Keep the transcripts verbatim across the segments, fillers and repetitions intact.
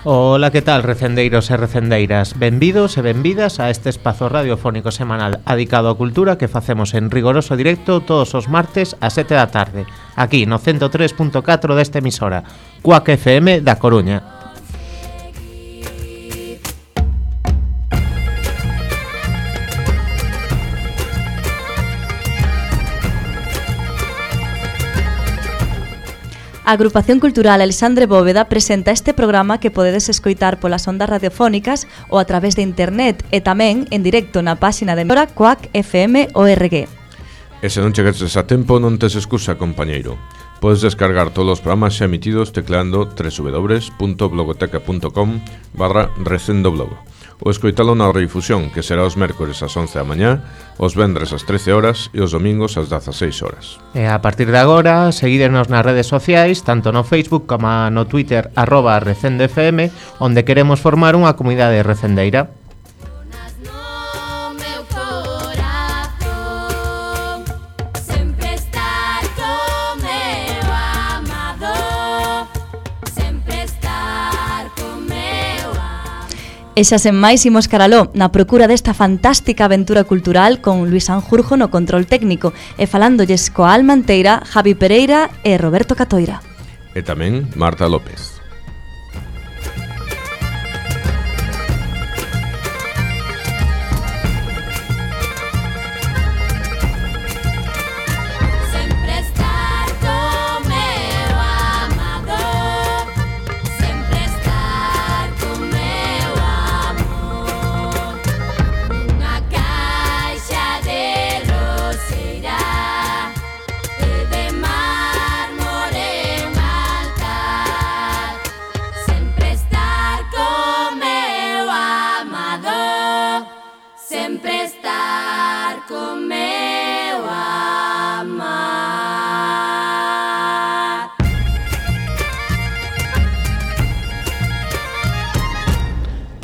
Ola, que tal, recendeiros e recendeiras? Benvidos e benvidas a este espazo radiofónico semanal adicado á cultura que facemos en rigoroso directo todos os martes a sete da tarde, aquí no ciento tres punto catro desta emisora, Cuac F M da Coruña. A Agrupación Cultural Alexandre Bóveda presenta este programa que podedes escoitar polas ondas radiofónicas ou a través de internet e tamén en directo na páxina de emisora Cuac F M O R G. E se non chegases a tempo non tes excusa, compañeiro. Podes descargar todos os programas xa emitidos tecleando w w w punto blogoteca punto com barra recendoblog ou escoitalo na redifusión, que será os mércores ás once da mañá, os vendres ás trece horas e os domingos ás dezaseis horas. E a partir de agora, seguídenos nas redes sociais, tanto no Facebook como no Twitter, arroba recendefm, onde queremos formar unha comunidade recendeira. E xa sen máis imos caraló na procura desta fantástica aventura cultural con Luis Sanjurjo no control técnico e falándolles coa alma enteira Javi Pereira e Roberto Catoira. E tamén Marta López.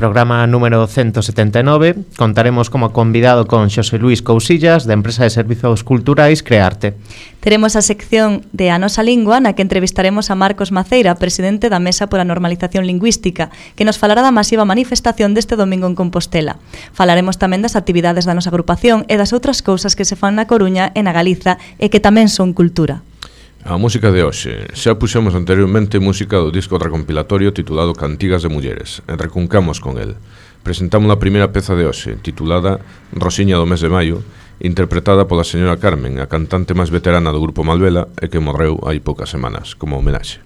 Programa número ciento setenta e nove, contaremos como convidado con Xosé Luis Cousillas, da empresa de servizos culturais Crearte. Teremos a sección de A Nosa Lingua, na que entrevistaremos a Marcos Maceira, presidente da Mesa por a Normalización Lingüística, que nos falará da masiva manifestación deste domingo en Compostela. Falaremos tamén das actividades da nosa agrupación e das outras cousas que se fan na Coruña e na Galiza e que tamén son cultura. A música de hoxe. Xa puxemos anteriormente música do disco recompilatorio titulado Cantigas de Mulleres, e recuncamos con el. Presentamos a primeira peza de hoxe, titulada Rosiña do mes de maio, interpretada pola señora Carmen, a cantante máis veterana do grupo Malvela e que morreu hai poucas semanas, como homenaxe.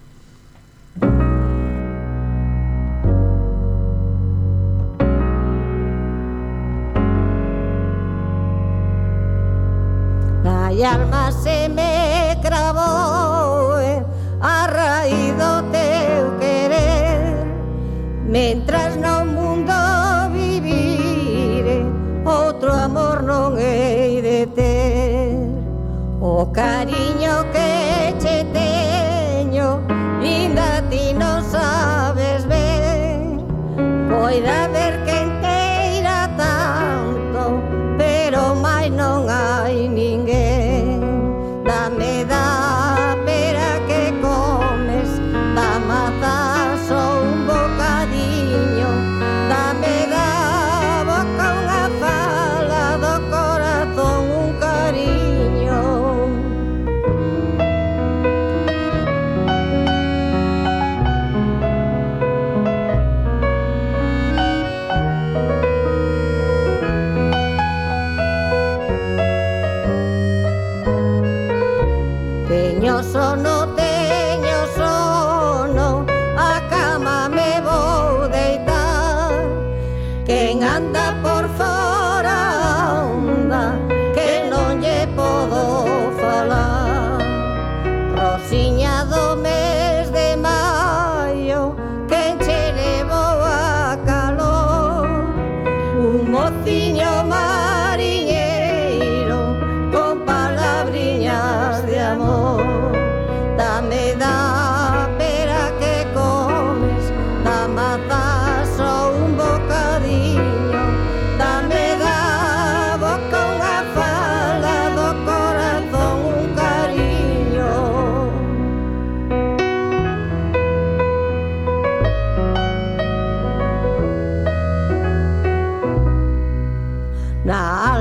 Hai alma se me cravou a raíz do teu querer, mentras no mundo vivire outro amor non hei de ter. O cariño que che teño inda ti non sabes ben, poida ver que enteira tanto, pero máis non hai ninguén. Dame da pera que comes, da maza só un bocadiño, dame da boca unha fala, do corazón un cariño. Teño sono, teño sono, a cama me vou deitar. Quen anda por fora onda, que non lle podo falar. Rosiña do mes de maio, quen che levou a calor. Un mociño mariñeiro con palabriñas de amor.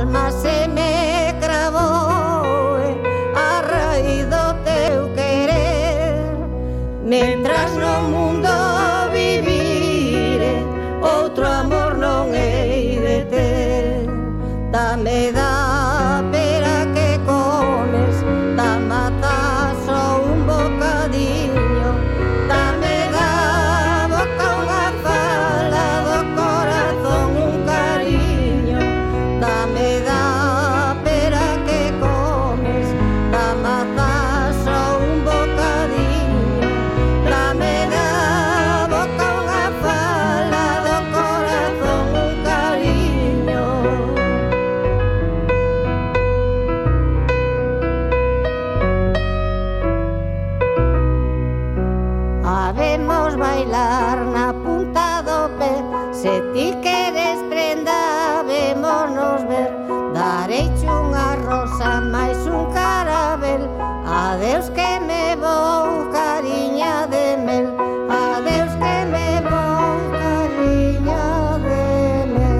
alma se me cravou a raíz do teu querer. Mentras no mundo vivire, outro amor non hei de ter. Dame da pera que comes, da mata só un bocadiño. Dame da boca unha fala, do corazón un cariño. Dame da pera que comes, da mata só un bocadiño. Dame da boca unha fala, do corazón un cariño. Habemos bailar na punta do pé, se ti queres prenda, vémonos ver. Dareiche unha rosa máis un carabel, adeus que me vou, cariña de mel. Adeus que me vou, cariña de mel.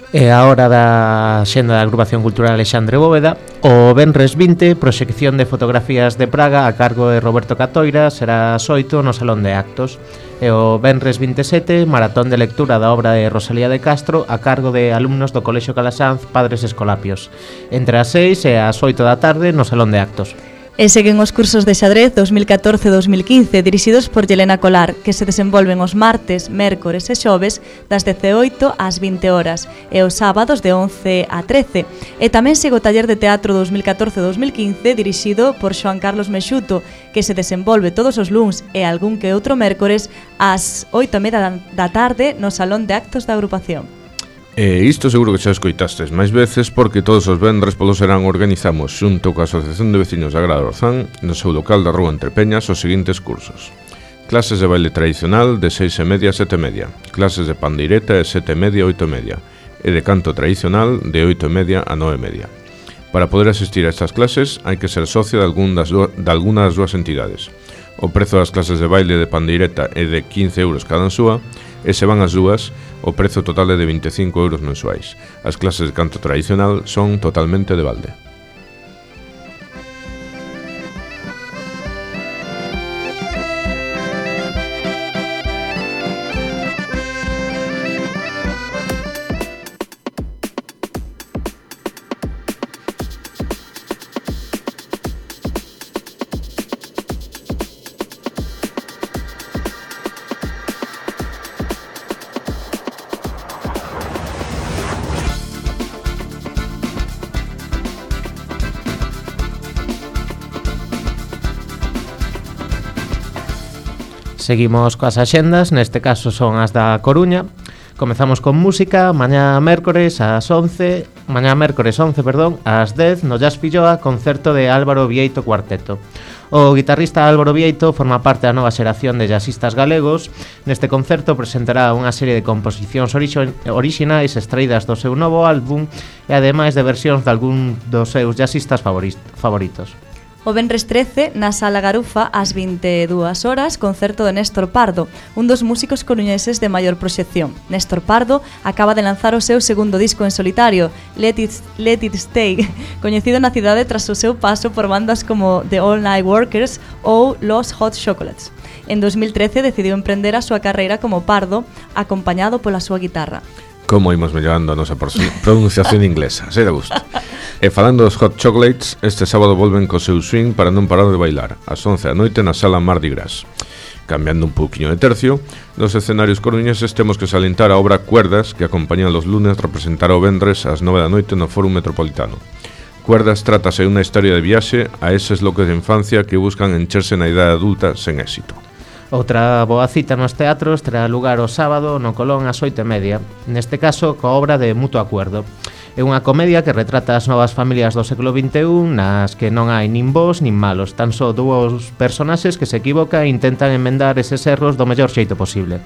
E a hora da xenda da Agrupación Cultural Alexandre Bóveda, o venres vinte, proxección de fotografías de Praga a cargo de Roberto Catoira, será ás oito no Salón de Actos. E o venres vinte e sete, maratón de lectura da obra de Rosalía de Castro a cargo de alumnos do Colexio Calasanz, Padres Escolapios, entre as seis e as oito da tarde no Salón de Actos. E seguen os cursos de xadrez dos mil catorce dos mil quince dirixidos por Yelena Colar, que se desenvolven os martes, mércores e xoves das dezaoito ás vinte horas e os sábados de once a trece. E tamén segue o taller de teatro dos mil catorce dos mil quince dirixido por Xoan Carlos Mexuto, que se desenvolve todos os luns e algún que outro mércores ás oito e media da tarde no Salón de Actos da agrupación. E isto seguro que xa escoitastes máis veces, porque todos os vendres polo serán organizamos xunto coa Asociación de Vecinos da Grada Orzán no seu local da Rúa Entre Peñas os seguintes cursos: clases de baile tradicional de seis e media a sete e media, clases de pandeireta de sete e media a oito e media e de canto tradicional de oito e media a nove e media. Para poder asistir a estas clases hai que ser socio de, algún das do, de alguna das dúas entidades. O prezo das clases de baile de pandeireta é de quince euros cada súa, e se van as dúas, o prezo total é de vinte e cinco euros mensuais. As clases de canto tradicional son totalmente de balde. Seguimos coas axendas, neste caso son as da Coruña. Comezamos con música, mañá mércores ás once, mañá mércores once, perdón, ás dez no Jazz Filloa, concerto de Álvaro Vieito Cuarteto. O guitarrista Álvaro Vieito forma parte da nova xeración de jazzistas galegos. Neste concerto presentará unha serie de composicións orixo- orixinais extraídas do seu novo álbum e ademais de versións de algún dos seus jazzistas favoritos. O venres trece, na Sala Garufa, ás vinte e dúas horas, concerto de Néstor Pardo, un dos músicos coruñeses de maior proxección. Néstor Pardo acaba de lanzar o seu segundo disco en solitario, Let It, Let It Stay, coñecido na cidade tras o seu paso por bandas como The All Night Workers ou Los Hot Chocolates. En dos mil trece decidiu emprender a súa carreira como Pardo, acompañado pola súa guitarra. Como imos mellorando a nosa pronunciación inglesa, sei de gusto. E falando dos Hot Chocolates, este sábado volven co seu swing para non parar de bailar, ás once da noite na Sala Mardi Gras. Cambiando un pouquiño de tercio, nos escenarios coruñeses temos que salientar a obra Cuerdas, que acompaña los lunes representar o vendres ás nove da noite no Fórum Metropolitano. Cuerdas trátase de unha historia de viaxe a eses locos de infancia que buscan encherse na idade adulta sen éxito. Outra boa cita nos teatros terá lugar o sábado no Colón ás oito e media, neste caso coa obra de Mutuo Acuerdo. É unha comedia que retrata as novas familias do século vinte e un nas que non hai nin bons nin malos, tan só dous personaxes que se equivocan e intentan enmendar eses erros do mellor xeito posible.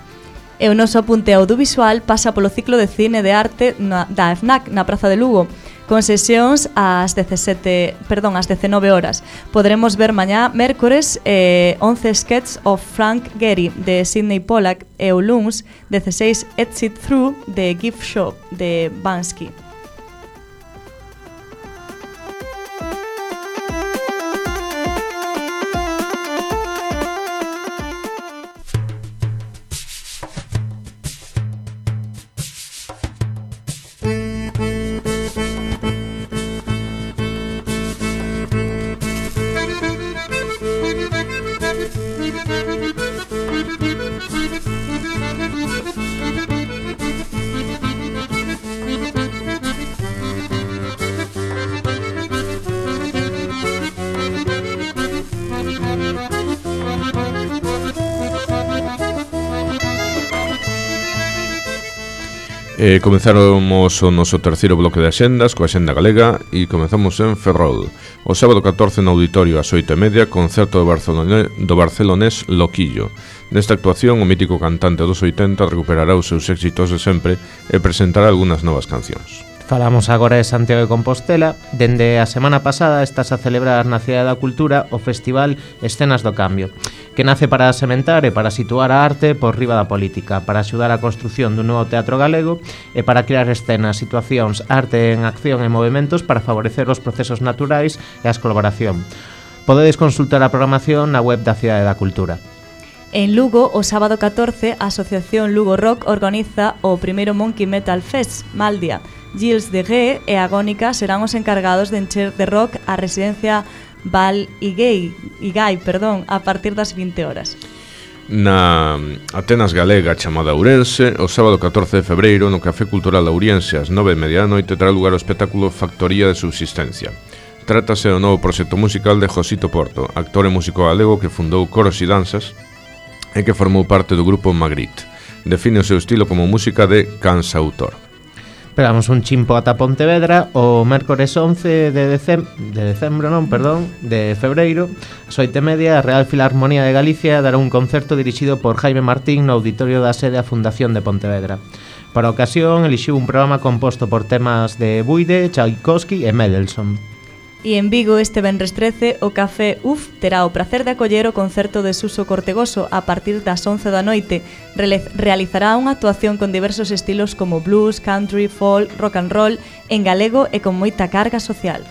E o noso apunte audiovisual pasa polo ciclo de cine de arte na, da F N A C na Praza de Lugo, con sesións ás dezasete, perdón, ás dezenove horas. Podremos ver mañá mércores eh, once sketches of Frank Gehry de Sidney Pollack e o luns dezasseis Exit Through de Gift Shop de Bansky. Eh, comenzáramos o noso terceiro bloque de axendas coa Axenda Galega e comezamos en Ferrol. O sábado catorce no auditorio ás oito e media, concerto do, Barcelone, do barcelonés Loquillo. Nesta actuación, o mítico cantante dos oitenta recuperará os seus éxitos de sempre e presentará algunhas novas cancións. Falamos agora de Santiago de Compostela. Dende a semana pasada estás a celebrar na Cidade da Cultura o Festival Escenas do Cambio, que nace para sementar e para situar a arte por riba da política, para axudar a construción dun novo teatro galego e para crear escenas, situacións, arte en acción e movimentos para favorecer os procesos naturais e a colaboración. Podedes consultar a programación na web da Cidade da Cultura. En Lugo, o sábado catorce, a Asociación Lugo Rock organiza o primeiro Monkey Metal Fest, Maldia. Gilles de Gué e Agónica serán os encargados de encher de rock a residencia Val Igay, Igay perdón, a partir das vinte horas. Na Atenas Galega chamada Ourense, o sábado catorce de febreiro no Café Cultural Ouriense ás nove e media da noite terá lugar o espectáculo Factoría de Subsistencia. Trátase do novo proxecto musical de Josito Porto, actor e músico galego que fundou Coros e Danzas e que formou parte do grupo Magritte. Define o seu estilo como música de cansautor. Pegamos un chimpo ata Pontevedra o mércores once de decembro, de decembro non, perdón, de febreiro, ás oito e media, a Real Filarmonía de Galicia dará un concerto dirixido por Jaime Martín no auditorio da sede a Fundación de Pontevedra. Para a ocasión, elixiu un programa composto por temas de Buide, Tchaikovsky e Mendelssohn. E en Vigo este venres trece o Café U F terá o prazer de acoller o concerto de Suso Cortegoso a partir das once da noite. Realizará unha actuación con diversos estilos como blues, country, folk, rock and roll en galego e con moita carga social.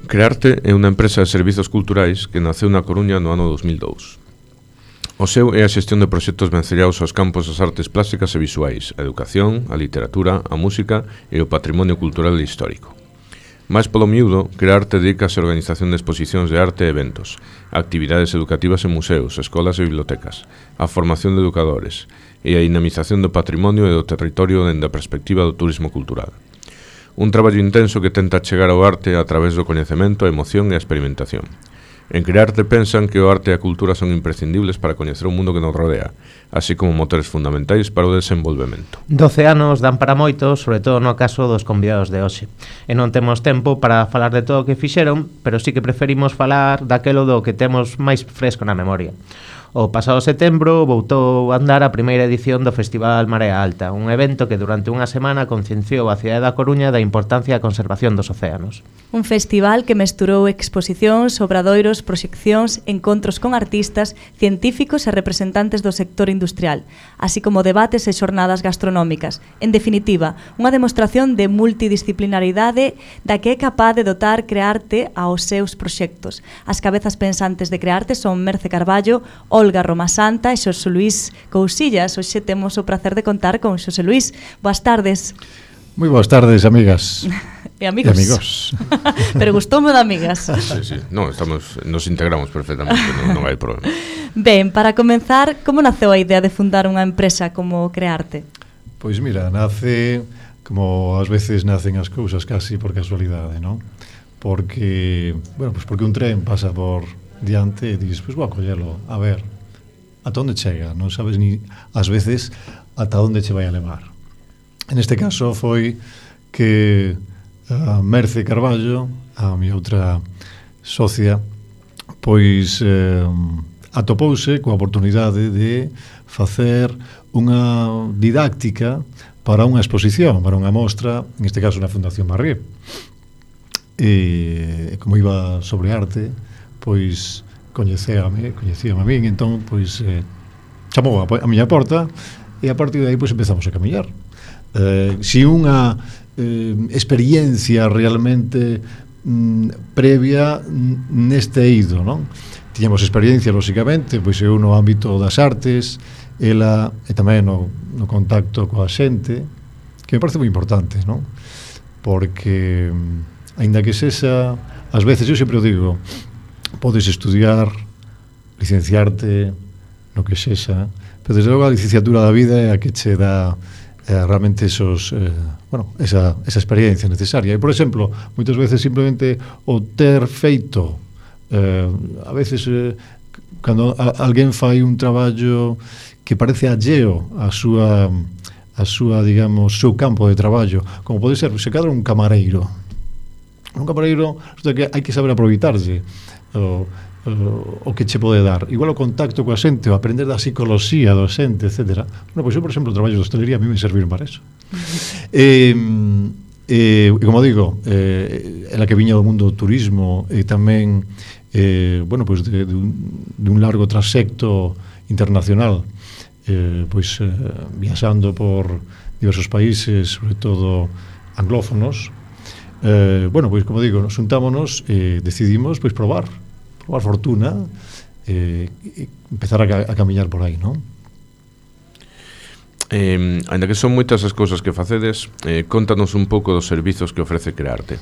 Crearte é unha empresa de servizos culturais que naceu na Coruña no ano dos mil dous. O seu é a xestión de proxectos vencellados aos campos das artes plásticas e visuais, a educación, a literatura, a música e o patrimonio cultural e histórico. Mais polo miúdo, Crearte dedícase á organización de exposicións de arte e eventos, a actividades educativas en museos, escolas e bibliotecas, a formación de educadores e a dinamización do patrimonio e do territorio dende a perspectiva do turismo cultural. Un traballo intenso que tenta chegar ao arte a través do coñecemento, a emoción e a experimentación. En Crearte pensan que o arte e a cultura son imprescindibles para coñecer o mundo que nos rodea, así como motores fundamentais para o desenvolvemento. doce anos dan para moito, sobre todo no caso dos convidados de hoxe. E non temos tempo para falar de todo o que fixeron, pero sí que preferimos falar daquelo do que temos máis fresco na memoria. O pasado setembro voltou a andar a primeira edición do Festival Marea Alta, un evento que durante unha semana concienciou a cidade da Coruña da importancia da conservación dos océanos. Un festival que mesturou exposicións, obradoiros, proxeccións, encontros con artistas, científicos e representantes do sector industrial, así como debates e xornadas gastronómicas. En definitiva, unha demostración de multidisciplinaridade da que é capaz de dotar Crearte aos seus proxectos. As cabezas pensantes de Crearte son Merce Carballo, Olga Romasanta e Xosé Luís Cousillas. Hoxe temos o placer de contar con Xosé Luís. Boas tardes. Moi boas tardes, amigas. E amigos. E amigos. Pero gustoume de amigas. Sí, sí. No, estamos, nos integramos perfectamente, non, non hai problema. Ben, para comenzar, como naceu a idea de fundar unha empresa como Crearte? Pois mira, nace como ás veces nacen as cousas casi por casualidade, non? Porque, bueno, pues porque un tren pasa por diante e dices, pois pues vou a collelo, a ver, ata onde chega, non sabes ni ás veces ata onde che vai a levar. En este caso foi que a Merce Carballo, a mi outra socia, pois eh, atopouse coa oportunidade de facer unha didáctica para unha exposición, para unha mostra, en este caso na Fundación Marrié. E como iba sobre arte, pois coñecéame, coñecíame a min, entón pois eh, chamou a, a miña porta e a partir de aí pois empezamos a camiñar. Eh, si unha eh, experiencia realmente mm, previa neste eido, non? Tiñamos experiencia, lóxicamente, pois eu no ámbito das artes, ela e tamén no, no contacto coa xente, que me parece moi importante, non? Porque aínda que sexa, ás veces eu sempre o digo, podes estudiar, licenciarte no que sexa, pero desde logo a licenciatura da vida é a que che dá eh, realmente esos, eh, bueno, esa, esa experiencia necesaria. E, por exemplo, moitas veces simplemente o ter feito, eh, a veces, eh, cando a, alguén fai un traballo que parece alleo a súa, a súa, digamos, seu campo de traballo, como pode ser, se cadra un camareiro. Un camareiro, o que hai que saber aproveitarse o, o, o que che pode dar. Igual o contacto coa xente, o aprender da psicoloxía do xente, etcétera. Bueno, pois eu, por exemplo, o traballo de hostelería a mí me serviron para eso. E, e, e como digo, eh, ela que viña do mundo do turismo e tamén eh, bueno, pois de, de, un, de un largo trasecto internacional, eh, pois eh, viaxando por diversos países, sobre todo anglófonos. Eh, bueno, pois como digo, nos juntámonos e decidimos pois probar probar fortuna eh, e empezar a, a camiñar por aí, non? Eh, ainda que son moitas as cousas que facedes, eh, contanos un pouco dos servizos que ofrece Crearte.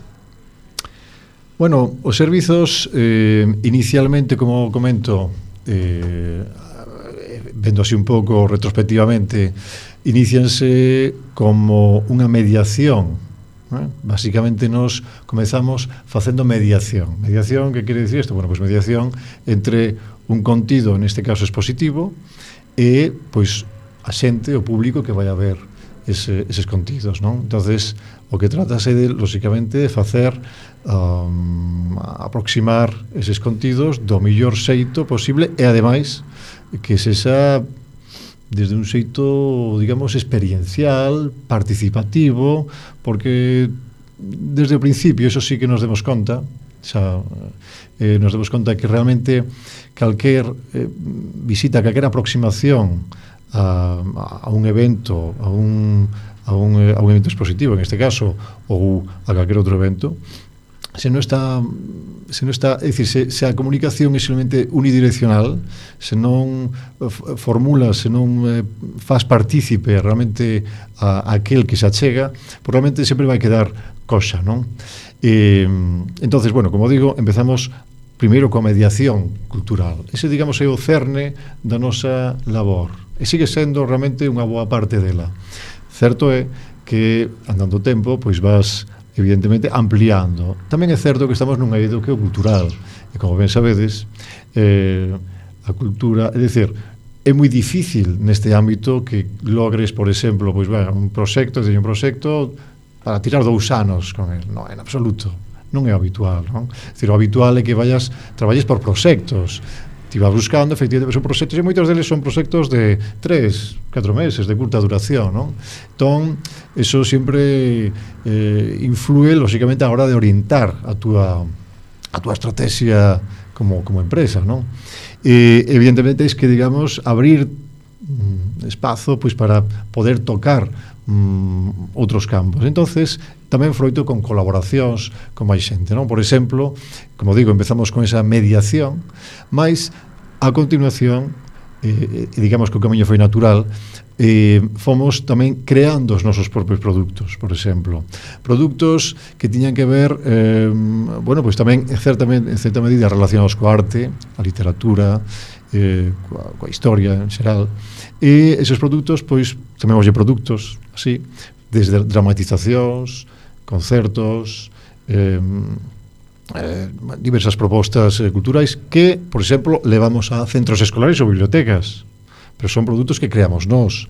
Bueno, os servizos eh, inicialmente, como comento, eh, vendo así un pouco retrospectivamente, inicianse como unha mediación. ¿Eh? Básicamente nos comezamos facendo mediación. Mediación, que quere dicir isto? Bueno, pois mediación entre un contido, neste caso expositivo, e pois a xente, o público que vai a ver ese, eses contidos, non? Entonces, o que tratase de, lóxicamente, de facer um, aproximar eses contidos do mellor xeito posible e, ademais, que sexa desde un xeito, digamos, experiencial, participativo, porque desde o principio, eso sí que nos demos conta, xa, eh, nos demos conta que realmente calquer eh, visita, calquer aproximación a, a un evento, a un, a, un, a un evento expositivo, en este caso, ou a calquer outro evento, se non está se non está, é dicir, se, se a comunicación é simplemente unidireccional, se non formula, se non eh, faz partícipe realmente a, a aquel que se achega, probablemente sempre vai quedar cosa, non? E, entonces, bueno, como digo, empezamos primeiro coa mediación cultural. Ese, digamos, é o cerne da nosa labor. E sigue sendo realmente unha boa parte dela. Certo é que, andando o tempo, pois vas evidentemente ampliando. Tamén é certo que estamos nunha eido que é o cultural, e como ben sabedes, eh, a cultura, é dicir, é moi difícil neste ámbito que logres, por exemplo, pois ben, un proxecto, un proxecto para tirar dous anos con el. Non, en absoluto, non é habitual, non? É dicir, o habitual é que vayas, traballes por proxectos, ti vas buscando, efectivamente, son proxectos, e moitos deles son proxectos de tres, catro meses, de curta duración, non? Entón, eso sempre eh, influe, lóxicamente, a hora de orientar a túa, a túa estrategia como, como empresa, non? E, evidentemente, es que, digamos, abrir mm, espazo, pois, para poder tocar mm, outros campos. Entonces, tamén froito con colaboracións con máis xente, non? Por exemplo, como digo, empezamos con esa mediación, mas a continuación, eh, digamos que o camiño foi natural, eh, fomos tamén creando os nosos propios produtos, por exemplo. Produtos que tiñan que ver, eh, bueno, pois tamén, certamente, en certa medida, relacionados coa arte, a literatura, eh, coa, coa historia en xeral, e esos produtos, pois, chamémoslle produtos, así, desde dramatizacións, concertos, eh, eh, diversas propostas eh, culturais que, por exemplo, levamos a centros escolares ou bibliotecas, pero son produtos que creamos nós.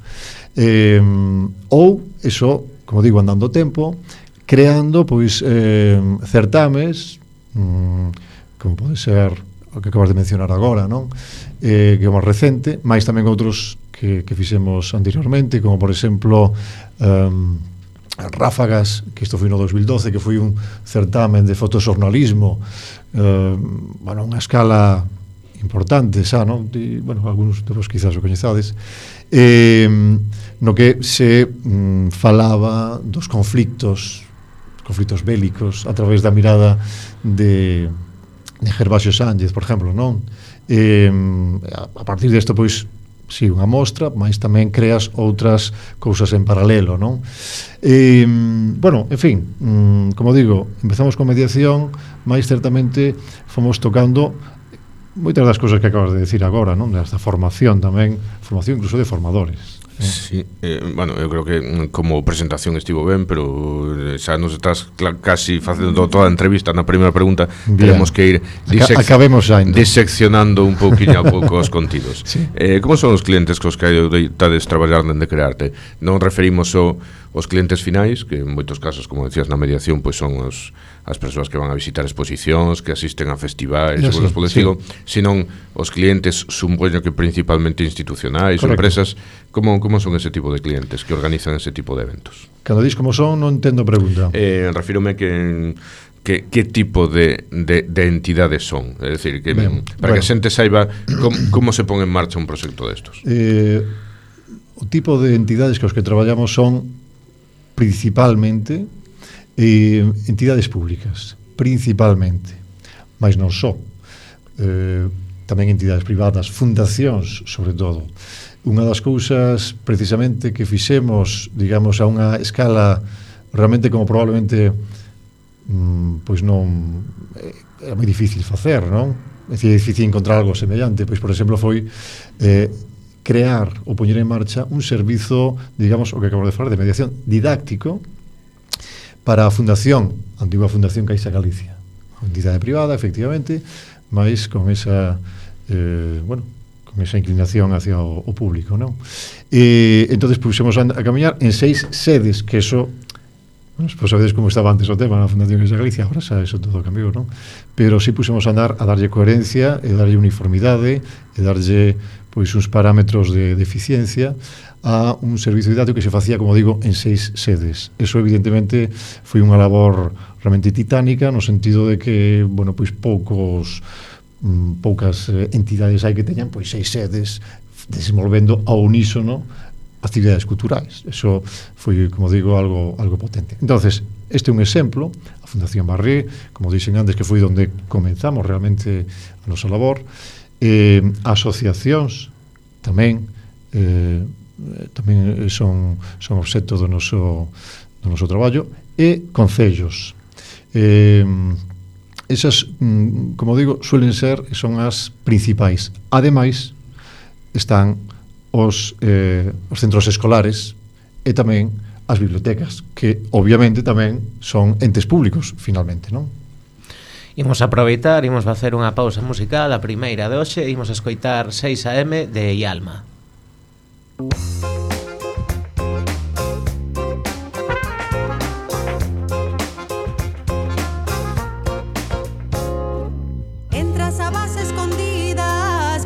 Eh, ou, eso, como digo, andando o tempo, creando, pois, eh, certames, mm, como pode ser o que acabas de mencionar agora, non? Eh, que é máis recente, máis tamén outros que, que fixemos anteriormente, como, por exemplo, um, Ráfagas, que isto foi no dos mil doce, que foi un certamen de fotoxornalismo, eh, bueno, unha escala importante, xa, non? E, bueno, algúns de vos quizás o coñezades, eh, no que se mm, falaba dos conflictos, conflictos bélicos, a través da mirada de, de Gervasio Sánchez, por exemplo, non? Eh, a partir desto, pois, si, unha mostra, mas tamén creas outras cousas en paralelo, non? E, bueno, en fin, como digo, empezamos con mediación, mas certamente fomos tocando moitas das cousas que acabas de decir agora, non? Desta formación tamén, formación incluso de formadores. Sí, eh, bueno, eu creo que como presentación estivo ben, pero xa nos estás casi facendo toda a entrevista na primeira pregunta. Bien. Tenemos que ir disec acabemos xa, diseccionando un pouquinho a pouco os contidos. Sí. Eh, como son os clientes cos que estades traballar dende Crearte? Non referimos só os clientes finais, que en moitos casos, como decías, na mediación, pois son os as persoas que van a visitar exposicións, que asisten a festivais, e cousas polo estilo, senón os clientes, supoño que principalmente institucionais, ou empresas. Como, como son ese tipo de clientes que organizan ese tipo de eventos? Cando dis como son, non entendo a pregunta. Eh, refírome que que, que tipo de, de, de entidades son, é dicir, que ben, para bueno. que a xente saiba como, como se pon en marcha un proxecto destos. Eh, o tipo de entidades que os que traballamos son principalmente eh, entidades públicas, principalmente, mas non só, eh, tamén entidades privadas, fundacións, sobre todo. Unha das cousas, precisamente, que fixemos, digamos, a unha escala realmente como probablemente mm, pois non é moi difícil facer, non? É difícil encontrar algo semellante, pois, por exemplo, foi eh, crear ou poñer en marcha un servizo, digamos, o que acabo de falar, de mediación didáctico para a Fundación, a antigua Fundación Caixa Galicia, unha entidade privada, efectivamente, mas con esa, eh, bueno, con esa inclinación hacia o, o público, non? E entonces puxemos a, a camiñar en seis sedes, que eso, bueno, pues sabedes como estaba antes o tema na Fundación Caixa Galicia, agora xa eso todo cambiou, non? Pero sí puxemos a andar a darlle coherencia, e darlle uniformidade, e darlle pois uns parámetros de, de eficiencia a un servizo didáctico que se facía, como digo, en seis sedes. Eso, evidentemente, foi unha labor realmente titánica, no sentido de que, bueno, pois poucos mm, poucas eh, entidades hai que teñan pois seis sedes desenvolvendo ao unísono actividades culturais. Eso foi, como digo, algo algo potente. Entonces, este é un exemplo, a Fundación Barré, como dixen antes, que foi onde comenzamos realmente a nosa labor. Eh, asociacións tamén eh, tamén son, son obxecto do noso, do noso traballo, e concellos. Eh, esas, como digo, suelen ser, son as principais. Ademais, están os, eh, os centros escolares e tamén as bibliotecas, que obviamente tamén son entes públicos, finalmente, non? Imos aproveitar, imos facer unha pausa musical, a primeira de hoxe, imos escoitar seis a eme de Ialma. Entras a base escondida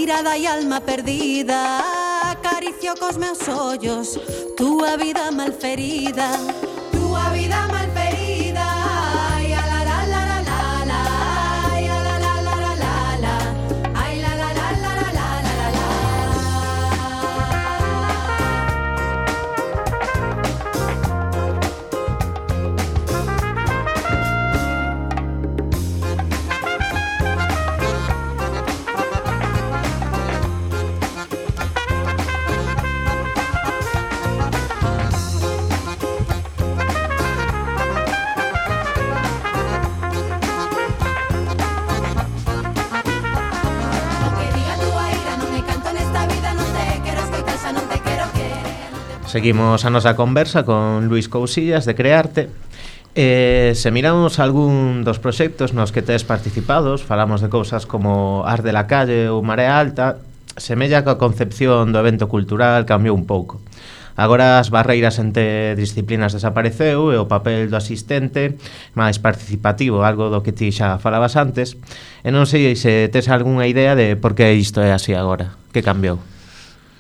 mirada e alma perdida, acaricio cos meus ollos túa vida malferida, túa vida malferida. Ai, la la la la la la, ai, la la la la la la, ai, la la la la la la la. Seguimos a nosa conversa con Luís Cousillas de Crearte. Eh, se miramos algún dos proxectos nos que tes participados, falamos de cousas como Ars de la Calle ou Marea Alta, semella que a concepción do evento cultural cambiou un pouco. Agora as barreiras entre disciplinas desapareceu e o papel do asistente máis participativo, algo do que ti xa falabas antes, e non sei se tes algunha idea de por que isto é así agora, que cambiou.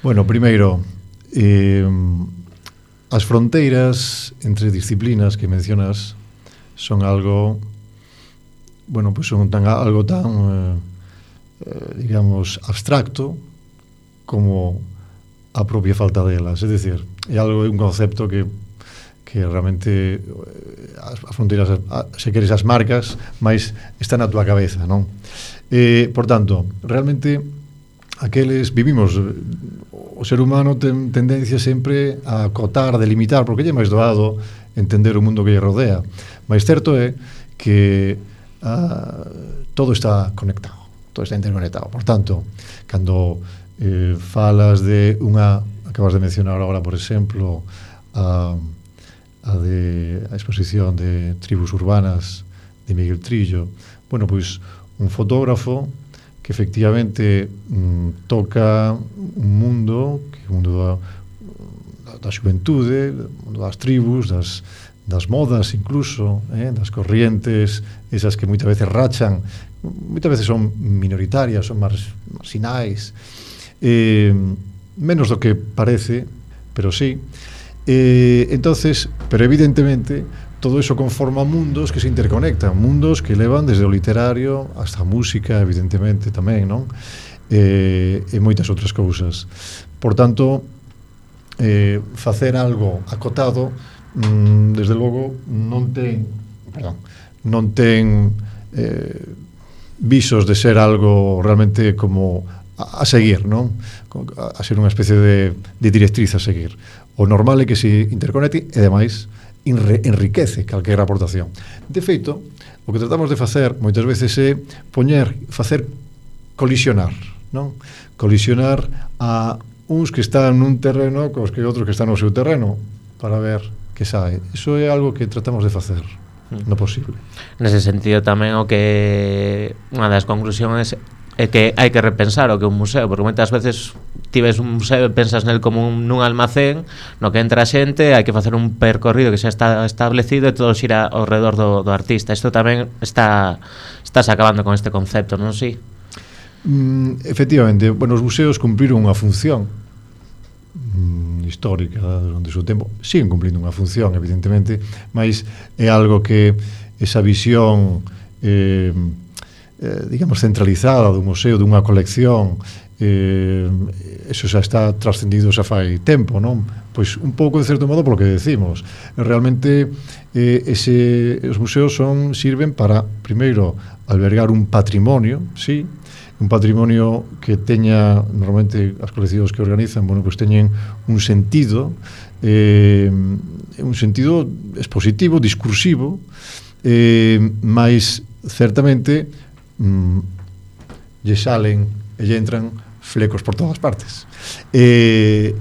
Bueno, primeiro, Eh, as fronteiras entre disciplinas que mencionas son algo, bueno, pues son tan, algo tan eh, eh, digamos abstracto como a propia falta delas, es decir, é algo, un concepto que que realmente as, as fronteiras, a, se queres as marcas, mais está na tua cabeza, non? Eh, por tanto, realmente aqueles vivimos, o ser humano ten tendencia sempre a acotar, a delimitar, porque lle é máis doado entender o mundo que lle rodea. Mas certo é que uh, todo está conectado, todo está interconectado. Por tanto, cando eh, falas de unha, acabas de mencionar agora, por exemplo, a, a de a exposición de tribus urbanas de Miguel Trillo, bueno, pois un fotógrafo que efectivamente mm, toca un mundo, que é o mundo da, da xuventude, o mundo das tribus, das, das modas incluso, eh, das corrientes, esas que moitas veces rachan, moitas veces son minoritarias, son mar, marginais, eh, menos do que parece, pero sí. Eh, entonces, pero evidentemente, todo eso conforma mundos que se interconectan, mundos que levan desde o literario hasta a música, evidentemente, tamén, non? Eh, e moitas outras cousas. Por tanto, eh, facer algo acotado, mm, desde logo, non ten, perdón, non ten eh, visos de ser algo realmente como a, a seguir, non? A ser unha especie de, de directriz a seguir. O normal é que se interconecte e, demais, enriquece calquera aportación. De feito, o que tratamos de facer moitas veces é poñer, facer colisionar, non? Colisionar a uns que están nun terreno cos que outros que están no seu terreno para ver que sae. Iso é algo que tratamos de facer no posible. Nese sentido tamén o que unha das conclusións é que hai que repensar o que é un museo, porque moitas veces ti ves un museo e pensas nel como un, nun almacén no que entra a xente, hai que facer un percorrido que xa está establecido e todo xira ao redor do, do artista. Isto tamén está estás acabando con este concepto, non si? Mm, efectivamente, bueno, os museos cumpriron unha función mm, histórica durante o seu tempo, siguen cumprindo unha función, evidentemente, mas é algo que esa visión eh, eh, digamos centralizada do museo, dunha colección, eh, eso xa está trascendido xa fai tempo, non? Pois un pouco de certo modo polo que decimos. Realmente eh, ese, os museos son sirven para, primeiro, albergar un patrimonio, sí, un patrimonio que teña, normalmente as coleccións que organizan, bueno, pois teñen un sentido, eh, un sentido expositivo, discursivo, eh, mais certamente mm, lle salen e lle entran flecos por todas partes. Eh,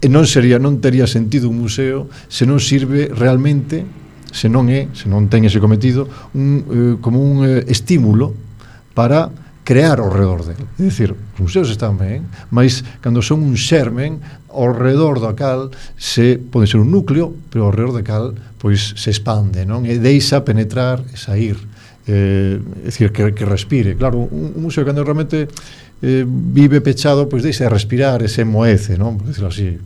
e non sería, non tería sentido un museo se non sirve realmente, se non é, se non ten ese cometido, un, eh, como un eh, estímulo para crear ao redor dele. É dicir, os museos están ben, mas cando son un xermen, ao redor do cal se pode ser un núcleo, pero ao redor do cal pois se expande, non? E deixa penetrar e sair. Eh, é dicir, que, que respire. Claro, un, un museo cando realmente eh, vive pechado, pois deixa de respirar e se moece, non? Por decirlo así.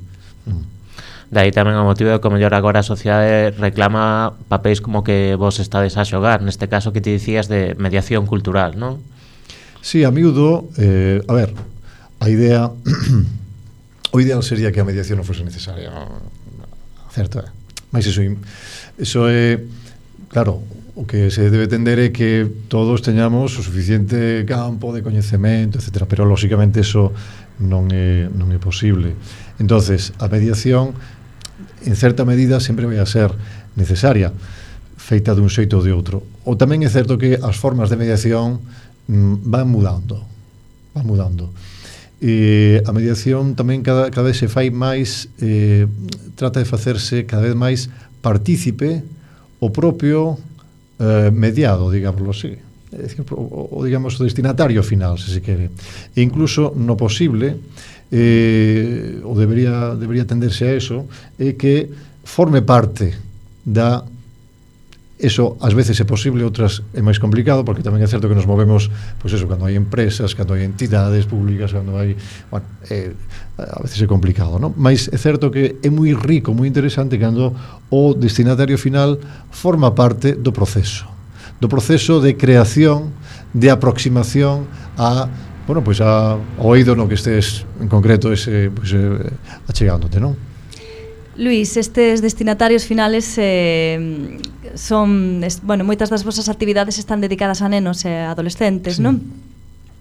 Mm. Daí tamén o motivo de que o mellor agora a sociedade reclama papéis como que vos estades a xogar, neste caso que te dicías de mediación cultural, non? Sí, a miúdo, eh, a ver, a idea o ideal sería que a mediación non fose necesaria, certo, é. Mas iso, iso é, claro, o que se debe tender é que todos teñamos o suficiente campo de coñecemento, etcétera, pero lógicamente eso non é, non é posible. Entonces, a mediación en certa medida sempre vai a ser necesaria, feita dun xeito ou de outro. Ou tamén é certo que as formas de mediación mm, van mudando, van mudando. E a mediación tamén cada, cada vez se fai máis, eh, trata de facerse cada vez máis partícipe o propio eh, mediado, digámoslo así. É dicir, o, o, digamos, o destinatario final, se se quere. E incluso no posible, eh, ou debería, debería tenderse a eso, é que forme parte da... Eso ás veces é posible, outras é máis complicado, porque tamén é certo que nos movemos, pois eso, cando hai empresas, cando hai entidades públicas, cando hai... Bueno, é, a veces é complicado, non? Mas é certo que é moi rico, moi interesante cando o destinatario final forma parte do proceso, do proceso de creación, de aproximación a, bueno, pois a, ao oído no que estés en concreto ese, pois, eh, achegándote, non? Luís, estes destinatarios finales eh, son, es, bueno, moitas das vosas actividades están dedicadas a nenos e adolescentes, sí, non?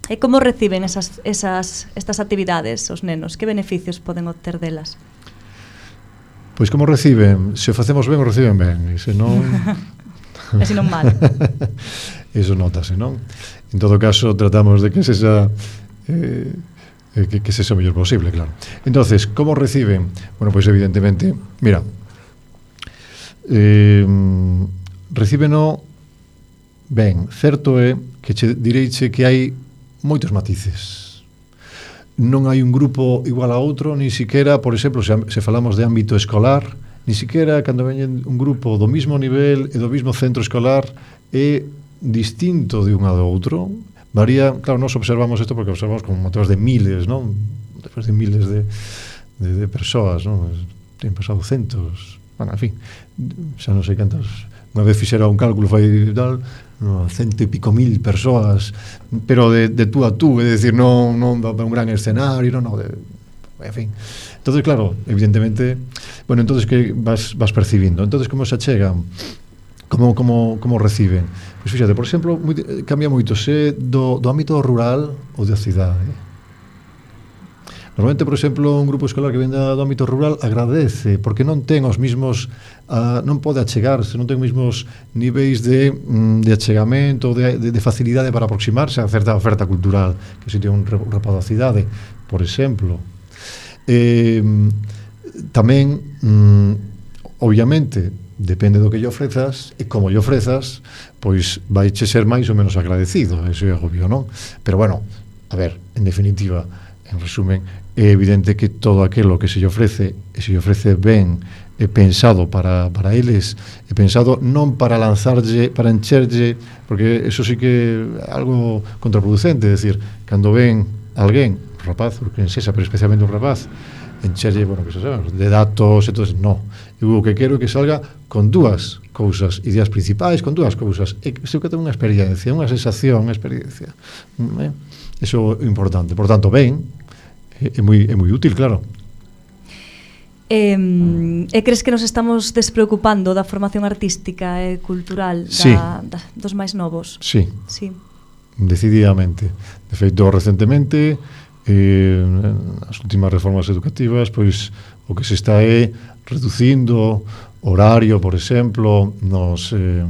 E como reciben esas, esas, estas actividades os nenos? Que beneficios poden obter delas? Pois como reciben? Se o facemos ben, o reciben ben, e se non... e se non mal. Eso notase, non? En todo caso, tratamos de que se xa... Eh, que, que se sea o mellor posible, claro. Entonces, como reciben? Bueno, pois pues evidentemente, mira, eh, recíbeno ben, certo é que che direiche que hai moitos matices. Non hai un grupo igual a outro, ni siquiera, por exemplo, se, se falamos de ámbito escolar, ni siquiera cando veñen un grupo do mismo nivel e do mismo centro escolar é distinto de un a do outro. Varía, claro, nos observamos isto porque observamos como motivos de miles, non? Despois de miles de, de, de persoas, non? Ten pasado centos, bueno, en fin, xa non sei cantas, unha vez fixera un cálculo fai tal, no, cento e pico mil persoas, pero de, de tú a tú, é dicir, non, non de un gran escenario, non, non, de, en fin. Entonces, claro, evidentemente, bueno, entonces que vas, vas percibindo, entonces como se achegan, como, como, como reciben. Pois fíxate, por exemplo, moi, cambia moito se do, do ámbito rural ou da cidade. Normalmente, por exemplo, un grupo escolar que ven do ámbito rural agradece, porque non ten os mismos, uh, non pode achegarse, non ten os mismos niveis de, mm, de achegamento, de, de, de facilidade para aproximarse a certa oferta cultural que se ten un rapaz da cidade, por exemplo. Eh, tamén, mm, obviamente, depende do que lle ofrezas e como lle ofrezas, pois vai che ser máis ou menos agradecido, eso é obvio, non? Pero bueno, a ver, en definitiva, en resumen, é evidente que todo aquilo que se lle ofrece e se lle ofrece ben é pensado para, para eles, é pensado non para lanzarlle, para encherlle, porque eso sí que é algo contraproducente, é dicir, cando ven alguén, un rapaz, porque en sesa, pero especialmente un rapaz, encherlle, bueno, que se sabe, de datos, entonces, no. Eu o que quero é que salga con dúas cousas, ideas principais, con dúas cousas. E iso que ten unha experiencia, unha sensación, unha experiencia. Eh? Eso é importante. Por tanto, ben, é moi, é moi útil, claro. E, e crees que nos estamos despreocupando da formación artística e cultural da, sí. da, dos máis novos? Sí. Sí. Decididamente. De feito, recentemente, eh, as últimas reformas educativas, pois o que se está é reducindo horario, por exemplo, nos eh,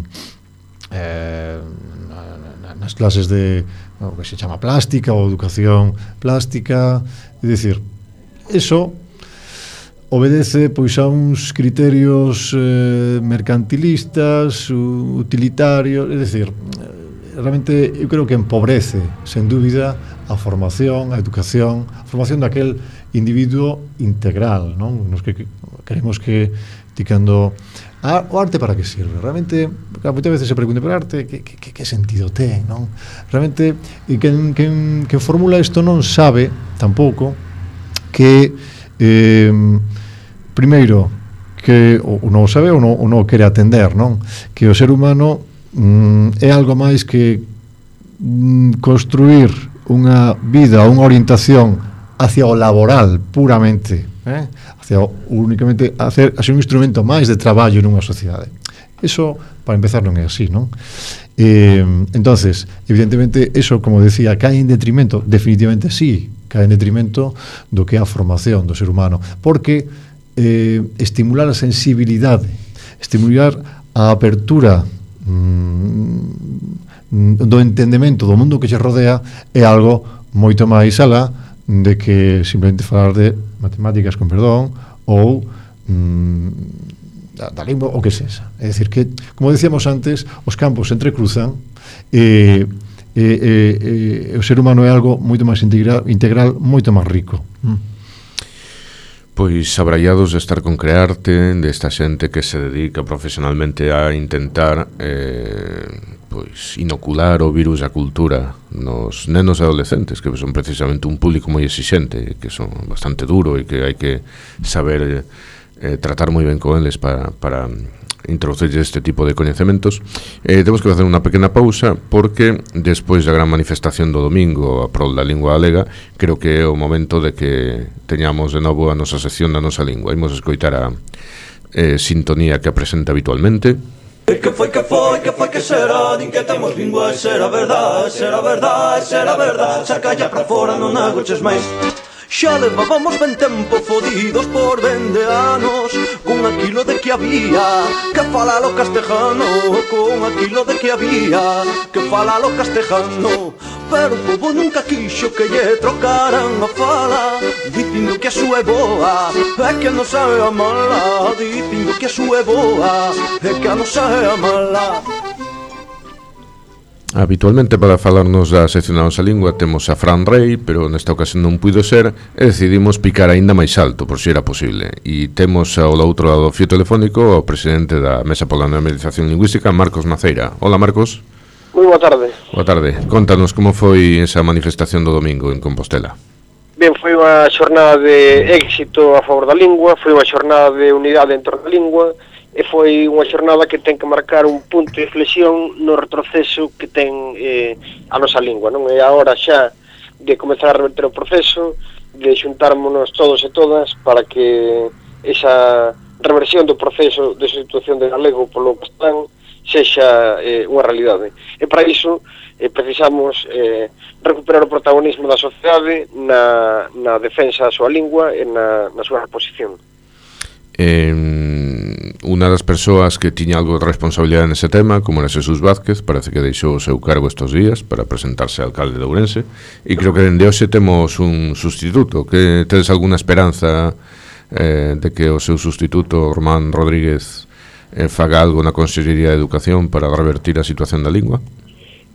eh, nas clases de o que se chama plástica ou educación plástica, é dicir, eso obedece pois a uns criterios eh, mercantilistas, utilitarios, é dicir, realmente eu creo que empobrece, sen dúbida, a formación, a educación, a formación daquel individuo integral, non? Nos que, Queremos que, ti cando a, o arte para que sirve? Realmente, moitas veces se pregunta por arte, que, que, que sentido ten, non? Realmente, quen, quen, quen formula isto non sabe, tampouco, que eh, primeiro, que ou non o sabe ou non, ou non o quere atender, non? Que o ser humano mm, é algo máis que mm, construir unha vida, unha orientación hacia o laboral puramente, eh? hacia o, únicamente hacer, hacer un instrumento máis de traballo nunha sociedade. Eso, para empezar, non é así, non? Eh, entonces, evidentemente, eso, como decía, cae en detrimento, definitivamente sí, cae en detrimento do que é a formación do ser humano, porque eh, estimular a sensibilidade, estimular a apertura mmm, do entendemento do mundo que se rodea é algo moito máis alá de que simplemente falar de matemáticas, con perdón, ou mm, da, da lingua, o que sexa. É dicir que, como decíamos antes, os campos se entrecruzan e, e, e, e o ser humano é algo moito máis integral, integral moito máis rico. Mm. Pois abraiados de estar con Crearte, desta xente que se dedica profesionalmente a intentar eh, pois inocular o virus da cultura nos nenos e adolescentes, que son precisamente un público moi exixente, que son bastante duro e que hai que saber eh, tratar moi ben con eles para, para introducir este tipo de coñecementos. Eh, temos que facer unha pequena pausa porque despois da gran manifestación do domingo a prol da lingua galega, creo que é o momento de que teñamos de novo a nosa sección da nosa lingua. Imos escoitar a eh, sintonía que apresenta habitualmente. Que foi, que foi, que foi, que será? Din que temos lingua, será verdade, será verdade, será verdade. Saca ya pra fora, non agoches máis. Xa levábamos ben tempo fodidos por vende anos con aquilo de que había que falalo castejano, con aquilo de que había que falalo castejano. Pero o povo nunca quixo que lle trocaran a fala, dicindo que a súa é boa é que a nosa é a mala, dicindo que a súa é boa é que a nosa é a mala. Habitualmente para falarnos da sección da nosa lingua temos a Fran Rey, pero nesta ocasión non puido ser e decidimos picar aínda máis alto, por si era posible. E temos ao outro lado do fío telefónico o presidente da Mesa pola Normalización Lingüística, Marcos Maceira. Hola, Marcos. Moi boa tarde. Boa tarde. Contanos como foi esa manifestación do domingo en Compostela. Ben, foi unha xornada de éxito a favor da lingua, foi unha xornada de unidade en torno da lingua, e foi unha xornada que ten que marcar un punto de inflexión no retroceso que ten eh, a nosa lingua, non? É a hora xa de comezar a reverter o proceso, de xuntármonos todos e todas para que esa reversión do proceso de sustitución de galego polo castelán sexa eh, unha realidade. E para iso eh, precisamos eh, recuperar o protagonismo da sociedade na, na defensa da súa lingua e na, na súa reposición. Eh, unha das persoas que tiña algo de responsabilidade nese tema, como era Jesús Vázquez, parece que deixou o seu cargo estes días para presentarse a alcalde de Ourense, e creo que dende hoxe temos un sustituto. Que tedes alguna esperanza eh, de que o seu sustituto, Román Rodríguez, eh, faga algo na Consellería de Educación para revertir a situación da lingua?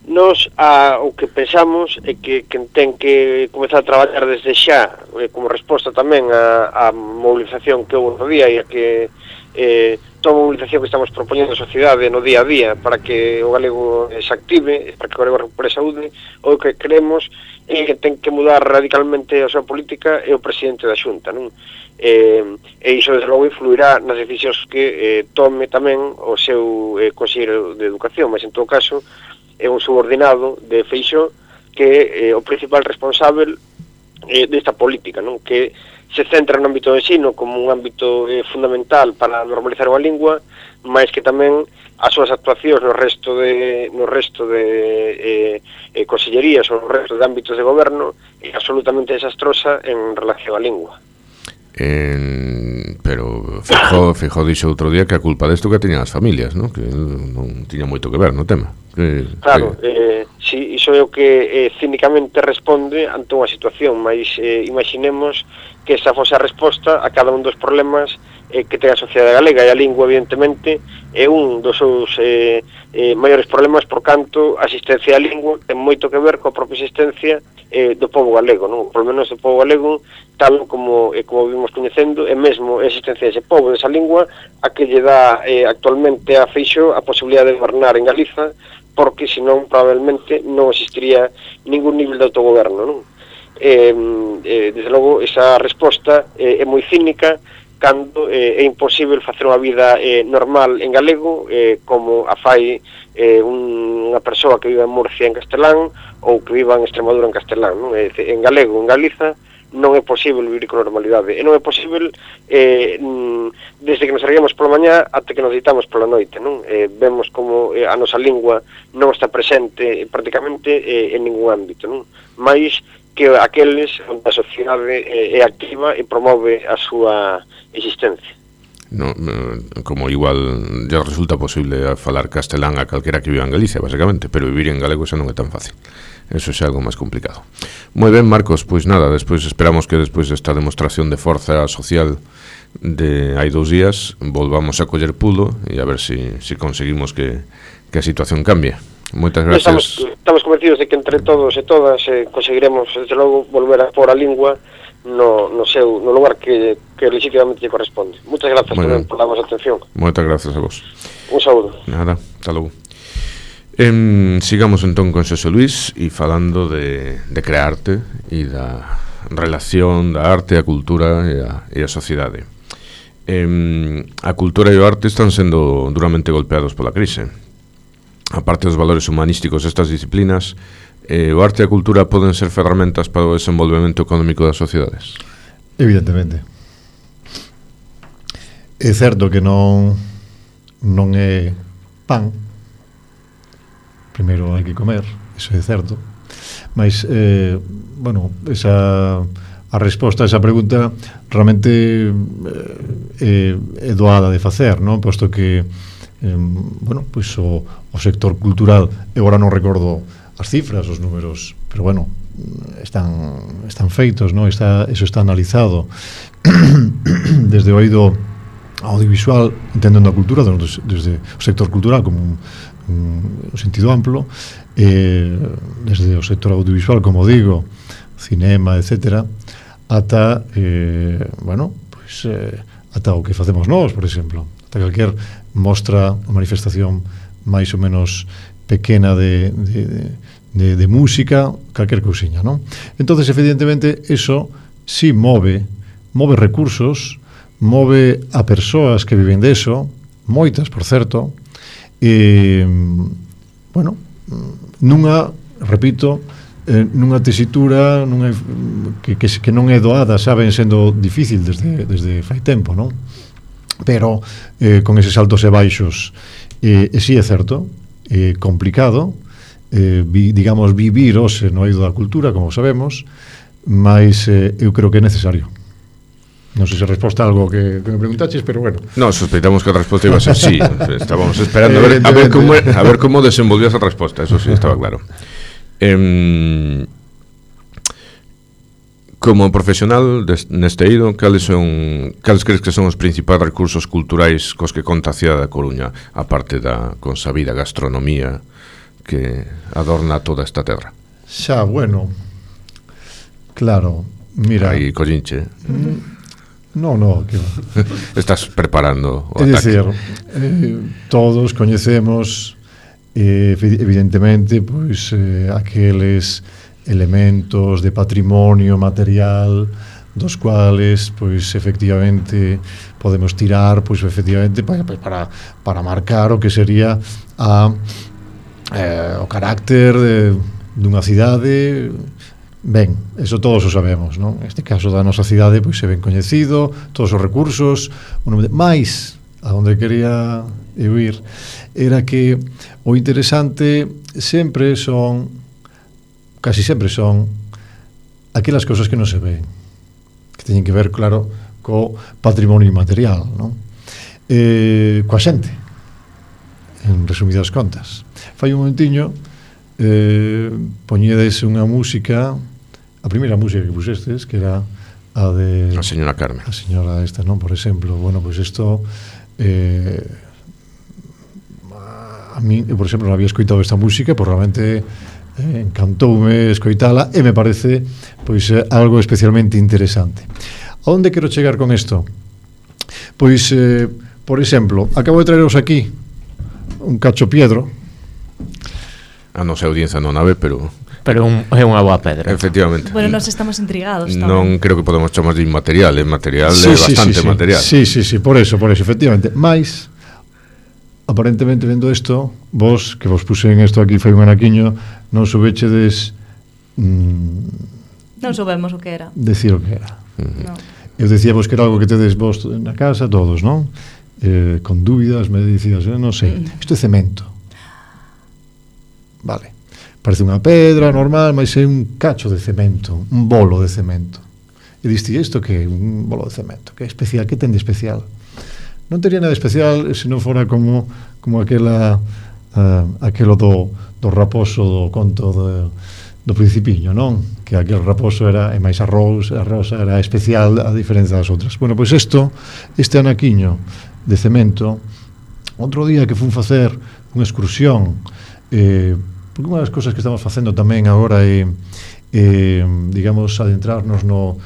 Nos, a, o que pensamos é que quen ten que comezar a traballar desde xa, eh, como resposta tamén a, a movilización que houve no día e a que eh, toda a movilización que estamos propoñendo a sociedade no día a día para que o galego se active, para que o galego recupere saúde, o que queremos é que ten que mudar radicalmente a súa política é o presidente da Xunta, non? Eh, e iso desde logo influirá nas decisións que eh, tome tamén o seu eh, conselleiro de Educación, mas en todo caso é un subordinado de Feixóo que é eh, o principal responsável eh, desta política, non? Que se centra no ámbito do ensino como un ámbito eh, fundamental para normalizar a lingua, mas que tamén as súas actuacións no resto de no resto de eh, eh, consellerías ou no resto de ámbitos de goberno é absolutamente desastrosa en relación á lingua. En, pero Feijóo, Feijóo dixo outro día que a culpa desto que teñan as familias, ¿no? Que non tiña moito que ver no tema. Que, claro, que... eh, si, iso é o que eh, cínicamente responde ante unha situación, mas eh, imaginemos que esa fose a resposta a cada un dos problemas eh, que ten a sociedade galega, e a lingua, evidentemente, é un dos seus eh, eh, maiores problemas, por canto a existencia da lingua ten moito que ver coa propia existencia eh, do povo galego, non? Por lo menos do povo galego, tal como, eh, como vimos coñecendo, e mesmo a existencia dese povo, desa lingua, a que lle dá eh, actualmente a Feixóo a posibilidade de gobernar en Galiza, porque senón probablemente non existiría ningún nivel de autogoberno, non? Eh, eh, desde logo, esa resposta eh, é moi cínica cando eh, é imposible facer unha vida eh, normal en galego eh, como a fai eh, un, unha persoa que vive en Murcia en castelán ou que viva en Extremadura en castelán, non? Eh, en galego, en Galiza, non é posible vivir con normalidade, e non é posible eh, desde que nos erguemos pola mañá ata que nos deitamos pola noite, non? Eh, vemos como eh, a nosa lingua non está presente eh, prácticamente eh, en ningún ámbito, non? Mais que aqueles onde a sociedade eh, é activa e promove a súa existencia. No, como igual ya resulta posible falar castelán a calquera que viva en Galicia, basicamente, pero vivir en galego xa non é tan fácil. Eso é algo máis complicado. Moi ben, Marcos, pois nada, despois esperamos que despois desta demostración de forza social de hai dous días volvamos a coller pulo e a ver se si, si conseguimos que, que a situación cambie. Moitas gracias. Estamos, estamos convencidos de que entre todos e todas eh, conseguiremos, desde logo, volver a pôr a lingua no, no seu no lugar que, que legítimamente lle corresponde. Moitas grazas por, por la vosa atención. Moitas gracias a vos. Un saúdo. Nada, hasta logo. Eh, sigamos entón con Xosé Luis e falando de, de crearte e da relación da arte, a cultura e a, e a sociedade. Eh, a cultura e o arte están sendo duramente golpeados pola crise. A parte dos valores humanísticos destas disciplinas, eh, o arte e a cultura poden ser ferramentas para o desenvolvemento económico das sociedades? Evidentemente. É certo que non non é pan. Primeiro hai que comer, iso é certo. Mas, eh, bueno, esa, a resposta a esa pregunta realmente eh, é doada de facer, non? Posto que eh, bueno, pois o, o sector cultural, eu agora non recordo as cifras, os números, pero bueno, están están feitos, non? Está, eso está analizado desde o eido audiovisual, entendendo a cultura desde, desde o sector cultural como un, un, un sentido amplo, eh, desde o sector audiovisual, como digo, cinema, etcétera, ata eh, bueno, pois eh, ata o que facemos nós, por exemplo, ata calquer mostra ou manifestación máis ou menos pequena de, de, de, de música, calquer cousiña, non? Entonces, evidentemente, eso si move, move recursos, move a persoas que viven deso, moitas, por certo, e, bueno, nunha, repito, eh, nunha tesitura nunha, que, que, que non é doada, saben, sendo difícil desde, desde fai tempo, non? Pero eh, con eses altos e baixos, eh, e si é certo, é complicado, eh, vi, digamos, vivir hoxe no eido da cultura, como sabemos, mas eh, eu creo que é necesario. Non sei se resposta a algo que, que me preguntaches, pero bueno. No, sospeitamos que a resposta iba a ser sí. Estábamos esperando a ver, a ver como a ver como desenvolvías a resposta, eso sí, estaba claro. Eh, como profesional des, neste eido, cales son cales crees que son os principais recursos culturais cos que conta a cidade da Coruña, a parte da consabida gastronomía que adorna toda esta terra? Xa, bueno, claro, mira... Aí, collinche. No, no, que estás preparando o ataque. É dicir, eh, todos coñecemos eh, evidentemente pois eh, aqueles elementos de patrimonio material dos cuales pois efectivamente podemos tirar pois efectivamente para, para, para marcar o que sería a, eh, o carácter de, dunha cidade. Ben, eso todos o sabemos, non? Neste caso da nosa cidade pois é ben coñecido, todos os recursos, máis a onde quería eu ir era que o interesante sempre son, casi sempre son aquelas cousas que non se ven, que teñen que ver, claro, co patrimonio inmaterial, non? Eh, coa xente, en resumidas contas. Fai un momentiño eh, poñedes unha música, a primeira música que puxestes, que era a de... A señora Carmen. A señora esta, non? Por exemplo, bueno, pois pues isto... Eh, a mí, eu, por exemplo, non había escoitado esta música, pois realmente eh, encantoume escoitala e me parece pois eh, algo especialmente interesante. A onde quero chegar con isto? Pois, eh, por exemplo, acabo de traeros aquí un cacho piedro. A nosa audiencia non a ve, pero... Pero un, é unha boa pedra. Efectivamente. Bueno, nos estamos intrigados tamén. Non creo que podemos chamar de inmaterial, é material, sí, é sí, bastante sí, sí. material. Sí, sí, sí, por eso, por eso, efectivamente. Mais, aparentemente, vendo isto, vos, que vos pusen isto aquí, foi un anaquiño, non soubechedes... Mm, non soubemos o que era. Decir o que era. Uh-huh. No. Eu decíamos que era algo que tedes vos na casa, todos, non? Eh, con dúbidas, me dicías, eh, non sei. Uh-huh. Isto é cemento. Vale. Parece unha pedra normal, mas é un cacho de cemento, un bolo de cemento. E diste, isto que é un bolo de cemento? Que é especial? Que ten de especial? Non tería nada especial se non fora como como aquela uh, aquelo do, do raposo do conto do, do Principiño, non? Que aquel raposo era, e máis a rosa, a rosa era especial a diferenza das outras. Bueno, pois isto, este anaquiño de cemento, outro día que fun facer unha excursión, eh, porque unha das cousas que estamos facendo tamén agora é, eh, digamos, adentrarnos no...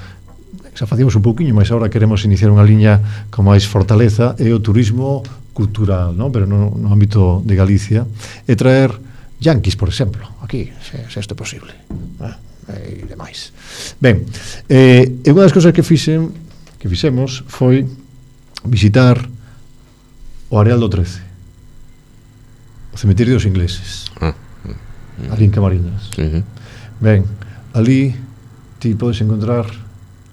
xa facíamos un pouquiño, mas agora queremos iniciar unha liña con máis fortaleza, é o turismo cultural, non? Pero no, no ámbito de Galicia, e traer yanquis, por exemplo, aquí, se, se isto é posible, eh? E demais. Ben, eh, e unha das cousas que fixen, que fixemos foi visitar o Areal do trece, o cemiterio dos ingleses, ah, uh, ali en Camariñas. Uh-huh. Ben, ali ti podes encontrar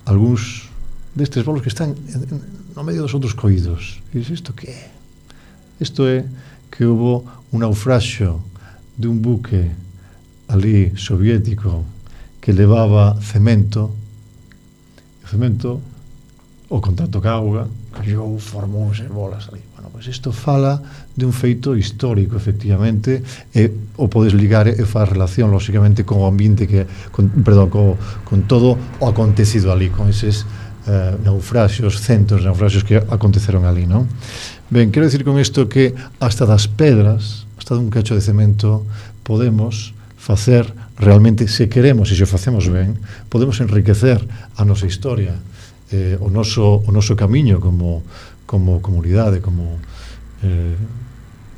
algúns destes bolos que están en, en, no medio dos outros coídos. E dices, isto que é? Isto é que hubo un naufraxio de un buque ali soviético que levaba cemento, e o cemento, o contacto ca auga, cayou, formouse bolas ali. Bueno, pois isto fala de un feito histórico, efectivamente, e o podes ligar e faz relación, lóxicamente, con o ambiente que, con, perdón, co, con todo o acontecido ali, con eses eh, naufraxios, centos de naufraxios que aconteceron ali, non? Ben, quero dicir con isto que hasta das pedras, hasta dun cacho de cemento, podemos facer realmente, se queremos e se o facemos ben, podemos enriquecer a nosa historia, eh, o noso o noso camiño como como comunidade, como eh,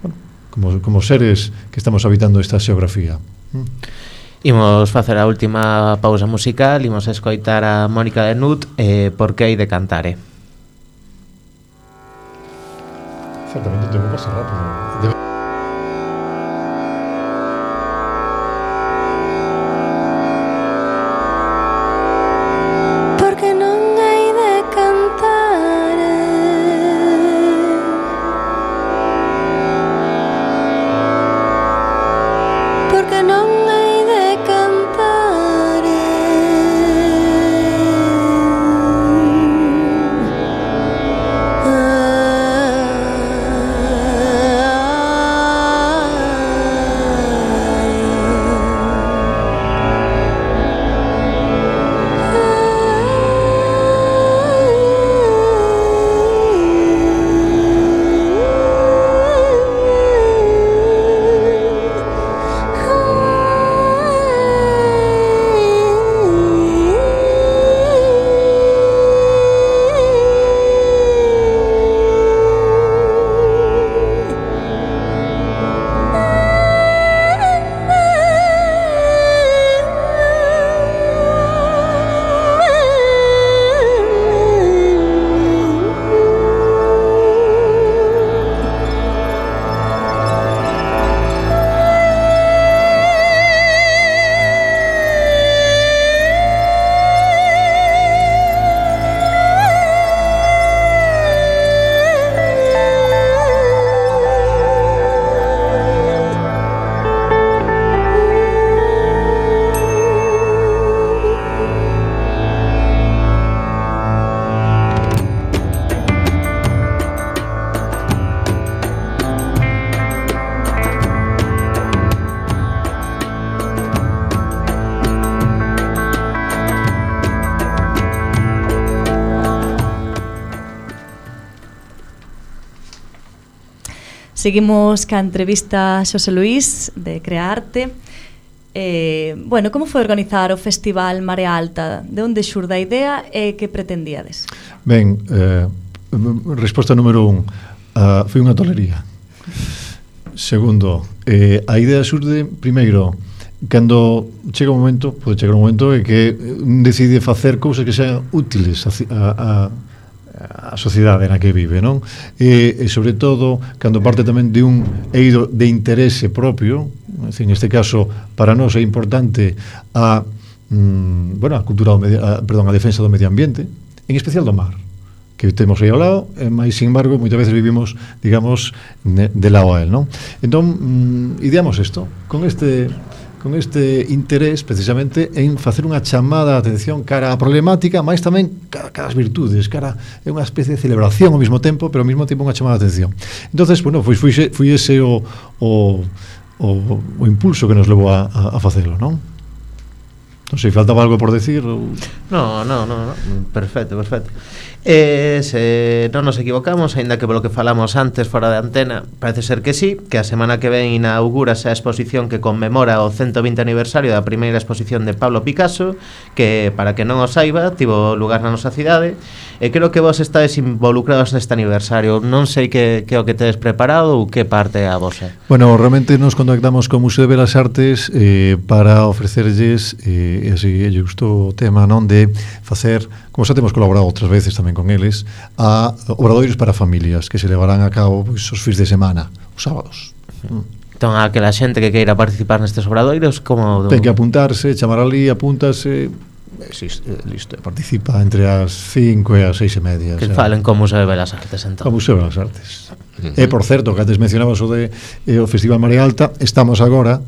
bueno, como como seres que estamos habitando esta xeografía. ¿Mm? Imos facer a última pausa musical, imos escoitar a Mónica de Nut, eh, Por que hai de cantare. Certamente tengo que pasar rápido. Debe... Porque non hai de cantar, ah, Seguimos ca entrevista a Xosé Luís de Crearte. Eh, bueno, como foi organizar o Festival Marea Alta? De onde xurde a idea e que pretendíades? Ben, eh, resposta número un, uh, foi unha tolería. Segundo, eh, a idea xurde, primeiro, cando chega un momento, pode chegar un momento en que decide facer cousas que sean útiles a, a, a sociedade na que vive, non? E, e sobre todo, cando parte tamén de un eido de interese propio, en este caso, para nós é importante a, mm, bueno, a cultura do medio, a, perdón, a defensa do medio ambiente, en especial do mar, que temos aí ao lado, mas, sin embargo, moitas veces vivimos, digamos, de lado a él, non? Entón, mm, ideamos isto, con este con este interés precisamente en facer unha chamada de atención cara á problemática, mas tamén cara, cara ás virtudes, cara é unha especie de celebración ao mesmo tempo, pero ao mesmo tempo unha chamada de atención. Entonces, bueno, foi, foi, foi ese o, o, o, o impulso que nos levou a, a, a facelo, non? Non sei, faltaba algo por decir? Ou... No, no, no, no, perfecto, perfecto. E se non nos equivocamos, aínda que polo que falamos antes fora de antena, parece ser que sí, que a semana que ven inaugúrase a exposición que conmemora o ciento vinte aniversario da primeira exposición de Pablo Picasso, que, para que non o saiba, tivo lugar na nosa cidade, e creo que vos estáis involucrados neste aniversario. Non sei que, que o que tedes preparado ou que parte é a vosa. Bueno, realmente nos contactamos co Museo de Belas Artes eh, para ofrecerlles, eh, e así lle gustou o tema, non, de facer, como xa temos colaborado outras veces tamén con eles, a obradoiros para familias que se levarán a cabo pois, os fins de semana, os sábados. Entón, a que la xente que queira participar nestes obradoiros, como... Ten que apuntarse, chamar ali, apúntase, existe, listo, participa entre as cinco e as seis e media. Que o sea, falen con Museo de Belas Artes, entón. Con Museo de Belas Artes. Uh-huh. E, por certo, que antes mencionabas o de eh, o Festival Marea Alta, estamos agora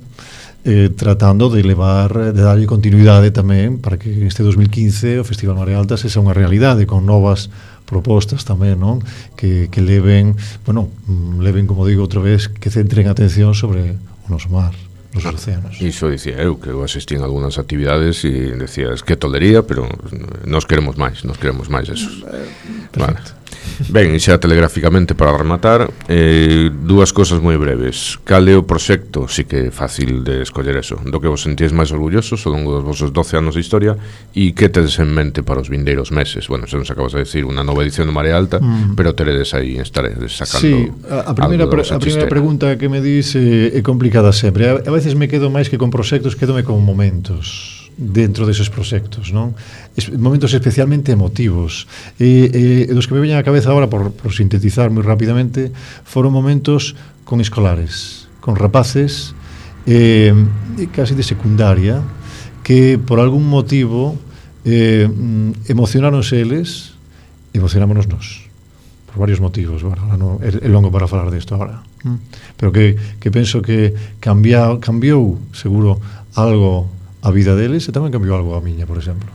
Eh, tratando de levar, de darlle continuidade tamén para que este dos mil quince o Festival Marea Alta sexa unha realidade con novas propostas tamén, non? Que, que leven, bueno, leven, como digo outra vez, que centren atención sobre o noso mar, os océanos. Iso dicía eu, que eu asistí en algunhas actividades e decías que tolería, pero nos queremos máis, nos queremos máis esos. Perfecto. Vale. Ben, e xa telegráficamente para rematar, eh, dúas cosas moi breves. Cal é o proxecto, si que é fácil de escoller eso, do que vos sentíes máis orgullosos ao longo dos vosos doce anos de historia, e que tedes en mente para os vindeiros meses? Bueno, xa nos acabas de decir unha nova edición de Marea Alta, mm. pero teredes aí, estaredes sacando. Sí, a, a primeira, pre, a primeira pregunta que me dis é, é complicada sempre. A, a veces me quedo máis que con proxectos, quedome con momentos dentro deses proxectos, non? Es, momentos especialmente emotivos. E, e dos que me veñan a cabeza agora, por, por sintetizar moi rapidamente, foron momentos con escolares, con rapaces, eh, casi de secundaria, que por algún motivo eh, emocionáronse eles, emocionámonos nós, por varios motivos. Bueno, non, é, é longo para falar desto agora, pero que, que penso que cambia, cambiou, seguro, algo a vida deles, e tamén cambiou algo a miña, por exemplo.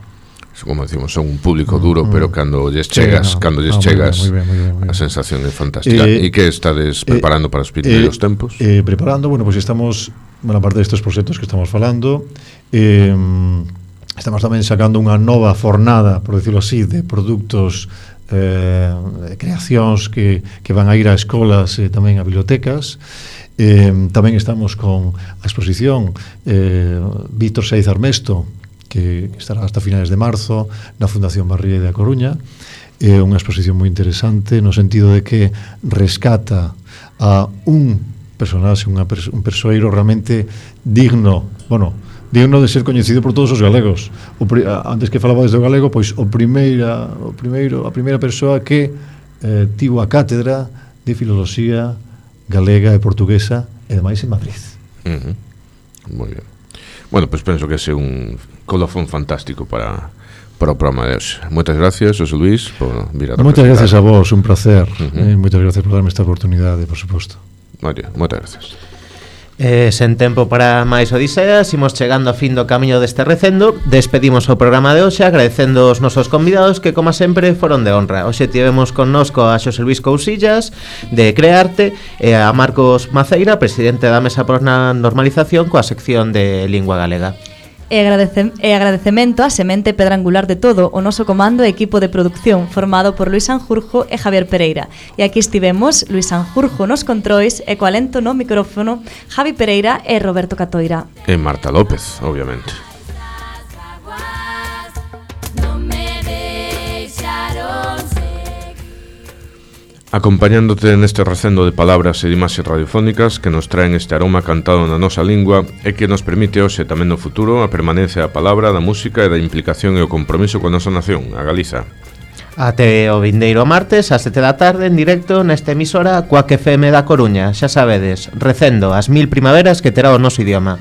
Como decimos, son un público duro, mm, pero cando lles chegas, sí, no, cando lles no, chegas, muy bien, muy bien, muy bien. A sensación é fantástica. E eh, que estades preparando eh, para os primeiros eh, tempos? Eh, preparando, bueno, pues estamos, bueno, aparte destes proxectos que estamos falando, eh, estamos tamén sacando unha nova fornada, por decirlo así, de produtos, eh, de creacións que, que van a ir a escolas e eh, tamén a bibliotecas. Eh, tamén estamos con a exposición eh, Víctor Saiz Armesto, que estará hasta finales de marzo na Fundación Barrié de A Coruña. É eh, unha exposición moi interesante no sentido de que rescata a un personaxe, unha perso- un persoeiro realmente digno, bueno, digno de ser coñecido por todos os galegos. O pri- antes que falaba desde o galego, pois o primeira, o primeiro, a primeira persoa que eh, tivo a cátedra de filoloxía galega e portuguesa, e demais en Madrid. Uh-huh. Moi ben. Bueno, pois pues penso que é un colofón fantástico para, para o programa de hoxe. Moitas gracias, Xosé Luís, por vir a Moitas gracias a vos, un placer. Uh-huh. eh, Moitas gracias por darme esta oportunidade, por suposto. Moitas gracias. Eh, sen tempo para máis odiseas, imos chegando a fin do camiño deste recendo. Despedimos o programa de hoxe agradecendo os nosos convidados que, como sempre, foron de honra. Hoxe tivemos connosco a Xosé Luís Cousillas de Crearte e a Marcos Maceira, presidente da Mesa por na Normalización, coa sección de Lingua Galega. E, agradece, e agradecemento á semente pedra angular de todo, o noso comando e equipo de producción, formado por Luis Sanjurjo e Javier Pereira. E aquí estivemos Luis Sanjurjo nos controis e co alento no micrófono Javi Pereira e Roberto Catoira. E Marta López, obviamente. Acompañándote neste recendo de palabras e de imaxes radiofónicas que nos traen este aroma cantado na nosa lingua e que nos permite hoxe tamén no futuro a permanencia da palabra, da música e da implicación e o compromiso coa nosa nación, a Galiza. Até o vindeiro martes, ás sete da tarde, en directo nesta emisora Cuac F M da Coruña. Xa sabedes, recendo as mil primaveras que terá o noso idioma.